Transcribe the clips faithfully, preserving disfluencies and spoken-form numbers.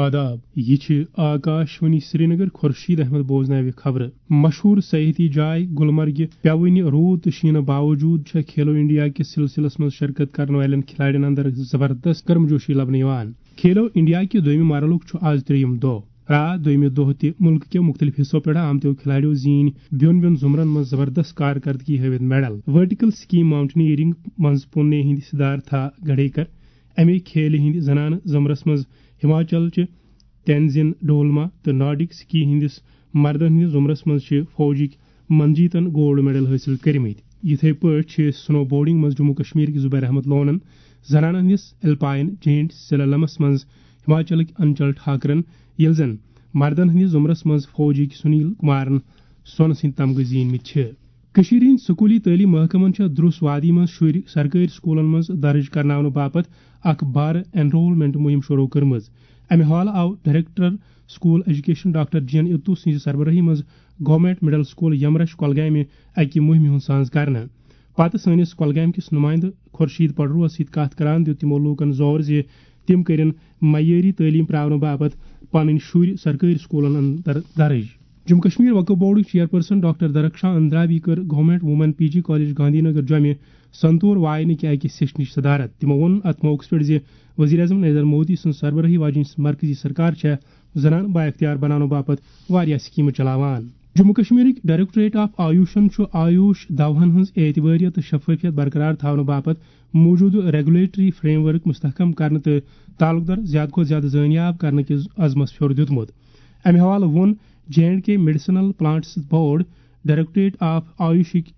آداب، یہِ چھِ آکاشوانی سرینگر۔ خورشید احمد بوزناوِ خبرٕ۔ مشہوٗر سیاحتی جاے گلمرگہِ پیوٕنہِ روٗد تہٕ شیٖنہٕ باوجوٗد چھےٚ کھیلو انڈیا کِس سلسلس منٛز شرکت کرن والٮ۪ن کھلاڑٮ۪ن اندر زبردست گرمجوشی لبنہٕ یِوان۔ کھیلو انڈیا کہِ دوٚیمہِ مرحلُک چھُ آز ترٛیٚیِم دۄہ۔ آ، دوٚیمہِ دۄہ تہِ مُلکہٕ کیو مُختٔلِف حصو پٮ۪ٹھ آمتیو کھلاڑیو زیٖنۍ بیوٚن بیوٚن زُمرن منٛز زبردست کارکردگی ہٲوِتھ میڈل۔ ورٹیکل سکی ماؤنٹینئرنگ منٛز پونے ہٕنٛدۍ سدھارتھا گڑھیکر، اَمے کھیلہِ ہٕنٛدِ زنانہٕ زُمرس منٛز ہماچل چہِ تینزین ڈولما تہٕ نارڈک سکی ہٕنٛدِس مردن ہٕنٛدِس زُمرس منٛز چھِ فوجٕکۍ منجیتن گولڈ میڈل حٲصِل کٔرمٕتۍ۔ یِتھے پٲٹھۍ چھِ سنو بورڈنگ منٛز جموں کشمیر کہِ زبیر احمد لونن، زنانن ہٕنٛدِس الپائن جینٹ سلالمس منٛز ہماچلٕکۍ انچل ٹھاکرن، ییٚلہِ زن مردن ہٕنٛدِس زُمرس منٛز فوجٕکۍ سنیل کمارن سۄنہٕ سٕنٛدۍ تمغہٕ زیٖنمٕتۍ چھِ۔ کٔشیٖرِ ہٕنٛدۍ سکوٗلی تعلیٖم محکمن چھےٚ درُس وادی منٛز شُرۍ سرکٲرۍ سکوٗلن منٛز درٕج کرناونہٕ باپتھ اکھ بارٕ انرولمنٹ مُہِم شروع کٔرمٕژ۔ امہِ حوالہٕ آو ڈائریکٹر سکول ایجوکیشن ڈاکٹر جی این اتو سٕنٛزِ سربرٲہی منٛز گورنمنٹ مڈل سکول یمرش کۄلگامہِ اکہِ مُہِمہِ ہُنٛد ساز کرنہٕ۔ پتہٕ سٲنِس کۄلگامہِ کِس نُمٲیندٕ خورشید پڑروَس سۭتۍ کتھ کران دیُت تِمو لوٗکن زور زِ تِم کٔرِن معیٲری تعلیٖم پراونہٕ باپتھ پنٕنۍ شُرۍ سرکٲرۍ سکوٗلن اندر درٕج۔ جموں کشمیر وقف بورڈٕکۍ چیئرپرسن ڈاکٹر درخشاں اندرابی کٔر گورنمنٹ وومن پی جی کالج گاندھی نگر جوٚمہِ سنتور واینہٕ کہِ اکہِ سیشنٕچ صدارت۔ تِمو ووٚن اتھ موقعس پٮ۪ٹھ زِ وزیر اعظم نریندر مودی سٕنٛز سربرٲہی واجیٚنۍ مرکزی سرکار چھےٚ زنانہٕ بااختیار بناونہٕ باپتھ واریاہ سکیمہٕ چلاوان۔ جموں کشمیرٕکۍ ڈائریکٹوریٹ آف آیوشن چھُ آیوش دواہن ہٕنٛز اعتباریت تہٕ شفافیت برقرار تھاونہٕ باپتھ موجودٕ ریگولیٹری فریم ورک مستحکم کرنہٕ تہٕ تعلق دار زیادٕ کھۄتہٕ زیادٕ زٲنیاب کرنہٕ کِس عزمس پھیوٚر دیُتمُت۔ امہِ حوالہٕ ووٚن J and K medicinal plants board directorate of آیوشٕکۍ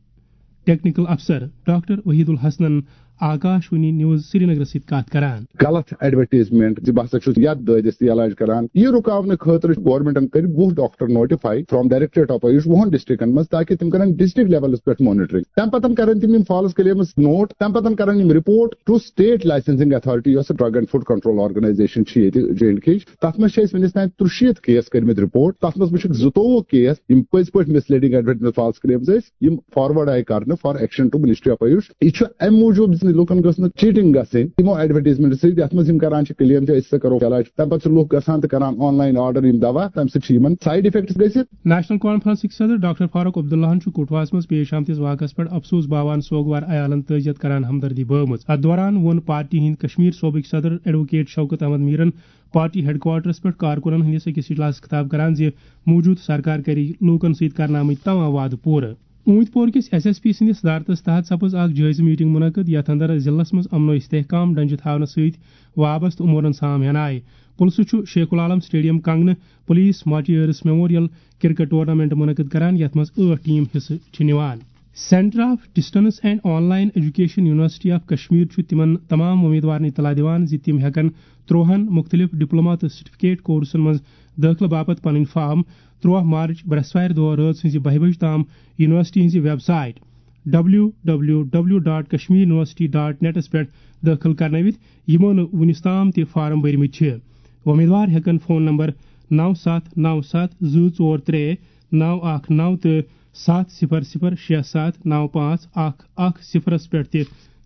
ٹیکنیکل افسر ڈاکٹر وحید الحسنن آکاشوانی نیوز سرینگرس سۭتۍ کتھ کران۔ غلط ایڈورٹائزمنٹ زِ بہٕ ہسا چھُس یتھ دٲدِس تہِ علاج کران، یہِ رُکاونہٕ خٲطرٕ چھُ گورنمنٹن کٔرۍ وُہ doctor notify from directorate of AYUSH وُہن ڈسٹرکٹن منٛز، تاکہِ تِم کرن ڈسٹرکٹ لیولس پٮ۪ٹھ مانیٹرنگ۔ تمہِ پتہٕ کرن تِم یِم فالس کلیمز نوٹ، تمہِ پتہٕ کرن یِم report to state licensing authority, یۄس drug and food control organisation چھِ ییٚتہِ جے اینڈ کے۔ تَتھ منٛز چھِ اَسہِ وٕنِس تام ترٛشیٖتھ کیس کٔرمٕتۍ رپورٹ۔ تَتھ منٛز وٕچھِکھ زٕتووُہ کیس، یِم پٔزۍ پٲٹھۍ مسلیڈنگ ایڈورٹائزمنٹ، فالس کلیمز ٲسۍ، یِم فارورڈ آیہِ کرنہٕ for action to ministry of Ayush. یہِ چھُ اَمہِ موٗجوٗب زِ لُکن گٔژھ نہٕ چیٹنگ گژھٕنۍ۔ تِمو ایڈورٹائزمنٹ سۭتۍ، یَتھ منٛز یِم کران چھِ کلیم چھِ أسۍ ہسا کرو علاج، تَمہِ پتہٕ چھِ لُکھ گژھان تہٕ کران آن لائن آرڈر یِم دوا، تَمہِ سۭتۍ چھِ یِمن سائیڈ افیکٹس گٔژھِتھ۔ نیشنل کانفرنسٕکۍ صدر ڈاکٹر فاروق عبداللہن چھُ کٹھوہس منٛز پیش آمتِس واقعس پٮ۪ٹھ افسوس باوان سوگوار عیالن تعزیت کران ہمدردی بٲومٕژ۔ اتھ دوران ووٚن پارٹی ہٕنٛدۍ کشمیر صوبٕکۍ صدر ایڈووکیٹ شوکت احمد میرن پارٹی ہیڈ کوارٹرس پٮ۪ٹھ کارکنن ہٕنٛدِس أکِس اجلاسس خطاب کران زِ موجودٕ سرکار کرِ لوٗکن سۭتۍ کرناومٕتۍ تمام وعدٕ پوٗرٕ۔ اوٗنتۍ پور کِس ایس ایس پی سٕنٛدِس صدارتس تحت سپٕز اکھ جٲیزٕ میٹنگ منعقد، یتھ اندر ضلعس منٛز امن و استحکام ڈنجہِ تھاونس سۭتۍ وابستہٕ امورن سام ہینہٕ آیہِ۔ پُلسہٕ چھُ شیخ العالم اسٹیڈیم کنگنہٕ police martyrs memorial cricket tournament منعقد کران، یتھ منٛز ٲٹھ ٹیم حصہٕ چھِ نِوان۔ Centre of distance and online education university of Kashmir چھُ تِمن تمام امیدوارن اطلاع دِوان زِ تِم ہٮ۪کن ترٛوہن مُختٔلِف ڈپلوما تہٕ سرٹیفکیٹ کورسن منٛز دٲخلہٕ باپتھ پنٕنۍ فارم ترٛوہ مارچ برٛٮ۪سوارِ دۄہ رٲژ ہٕنٛزِ بَہہِ بجہِ تام یونیورسٹی ہٕنٛزِ website W W W dot Kashmir university dot نیٹس پٮ۪ٹھ دٲخل کرنٲوِتھ، یِمو نہٕ وُنِس تام تہِ فارم بٔرمٕتۍ چھِ۔ امیدوار ہٮ۪کن فون نمبر نو ستھ نو ستھ زٕ ژور ترٛےٚ نو اکھ نو تہٕ ستھ صفر صفر شےٚ ستھ نو پانٛژھ اکھ اکھ صفرس پٮ۪ٹھ تہِ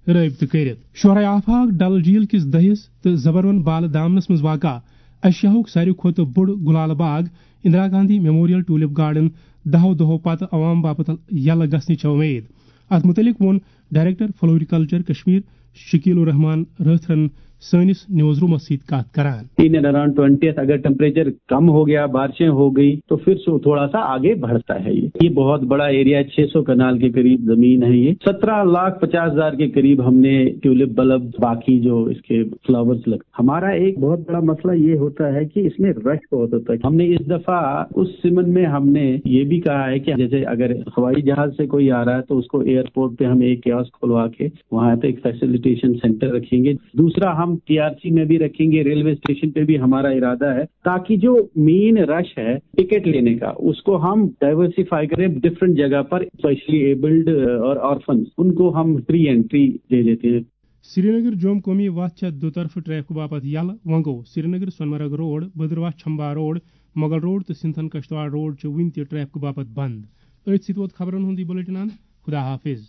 رٲبطہٕ کٔرِتھ۔ شعراء آفاق ڈل جھیل کِس دٔہِس تہٕ زبروَن بالہٕ دامنَس منٛز واقع ایشیاہُک ساروی کھۄتہٕ بوٚڑ گُلالہٕ باغ Indira Gandhi memorial tulip garden دَہو دۄہو پتہٕ عوام باپتھ یلہٕ گژھنٕچ چھےٚ اُمید۔ اتھ مُتعلق ووٚن ڈائریکٹر فلوریکلچر کشمیر شکیل الرحمان رٲتھرن سٲنِس نیوز رومس سۭتۍ کتھ کران۔ In and around twentieth, اگر ٹمپریچر کم ہو گیا، بارشیں ہو گئی، تو پھر سو تھوڑا سا آگے بڑھتا ہے۔ یہ یہ بہت بڑا ایریا، چھ سو کنال کے قریب زمین ہے۔ یہ سترہ لاکھ پچاس ہزار کے قریب ہم نے ٹیولپ بلب، باقی جو اس کے فلاورز لگ ہمارا ایک بہت بڑا مسئلہ یہ ہوتا ہے کہ اس میں رش بہت ہوتا ہے۔ ہم نے اس دفعہ اس سمن میں ہم نے یہ بھی کہا ہے کہ جیسے اگر ہوائی جہاز سے کوئی آ رہا ہے تو اس کو ایئرپورٹ پہ ہم ایک کیاسک کھلوا کے وہاں پہ ایک فیسیلیٹیشن سینٹر رکھیں گے۔ دوسرا، ہم ٹی آر سی میں بھی رکھیں گے، ریلوے اسٹیشن پہ بھی ہمارا ارادہ ہے، تاکہ جو مین رش ہے ٹکٹ لینے کا، اس کو ہم ڈائیورسیفائی کریں ڈفرنٹ جگہ پر، اسپیشلی ایبلڈ اور آرفنس، ان کو ہم فری انٹری دے دیتے ہیں۔ سرینگر جوم قومی وتھ چھےٚ دُطرفہٕ ٹریفکہٕ باپتھ یلہٕ۔ وۄنۍ گوٚو Srinagar Sonamarg road, Bhaderwah Chamba road, Mughal road تہٕ سنتھن کشتواڑ روڈ چھِ وُنہِ تہِ ٹریفکہٕ باپتھ بند۔ أتھۍ سۭتۍ ووت خبرن ہُنٛد یہِ بلیٹن اند۔ خدا حافظ۔